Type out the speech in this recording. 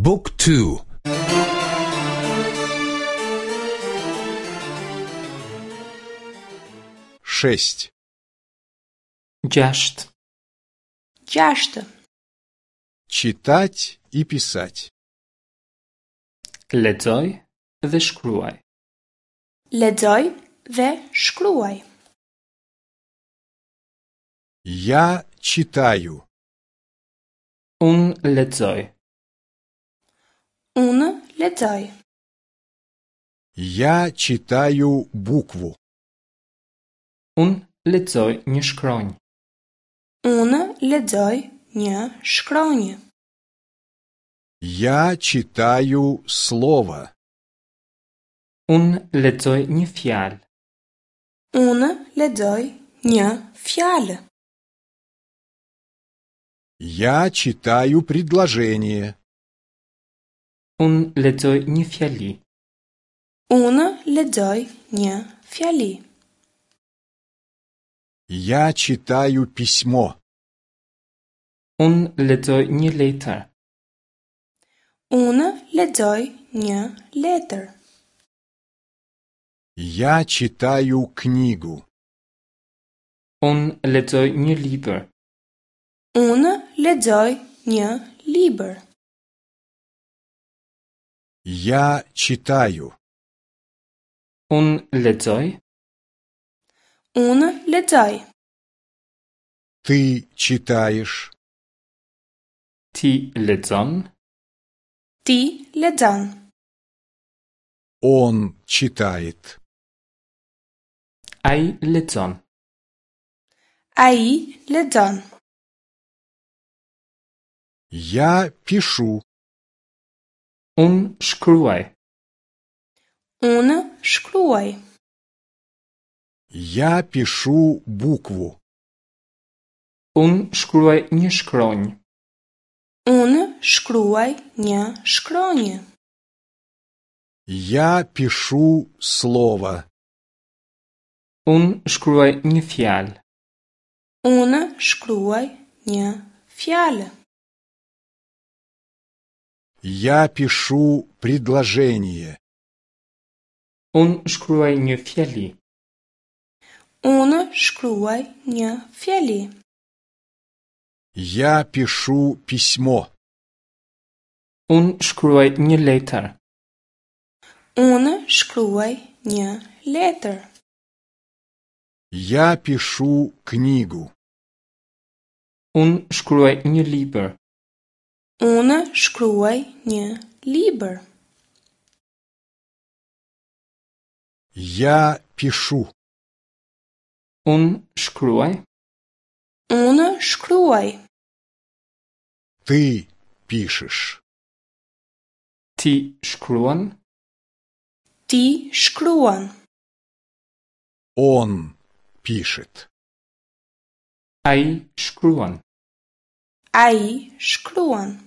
บุ๊กทู Шесть. Gjashtë. Gjashtë. Читать и писать. Lexoj dhe shkruaj. Lexoj dhe shkruaj. Я читаю. Unë lexoj. Unë lexoj. Я читаю букву. Unë lexoj një shkronjë. Unë lexoj një shkronjë. Я читаю слово. Unë lexoj një fjalë. Unë lexoj një fjalë. Я читаю предложение. Unë lexoj një fjali. Unë lexoj një fjali. Я читаю письмо. Unë lexoj një letër. Unë lexoj një letër. Я читаю книгу. Unë lexoj një libër. Unë lexoj një libër. Я читаю. Unë lexoj. Unë lexoj. Ты читаешь. Ti lexon. Ti lexon. Он читает. Ai lexon. Ai lexon. Я пишу. Unë shkruaj. Unë shkruaj. Я пишу букву. Unë shkruaj një shkronjë. Unë shkruaj një shkronjë. Я пишу слово. Unë shkruaj një fjalë. Unë shkruaj një fjalë. Я пишу предложение. Unë shkruaj një fjali. Unë shkruaj një fjali. Я пишу письмо. Unë shkruaj një letër. Unë shkruaj një letër. Я пишу книгу. Unë shkruaj një libër. Unë shkruaj një libër. Я пишу. Unë shkruaj. Unë shkruaj. Ты пишешь. Ti shkruan. Ti shkruan. Он пишет. Ai shkruan. Ai shkruan.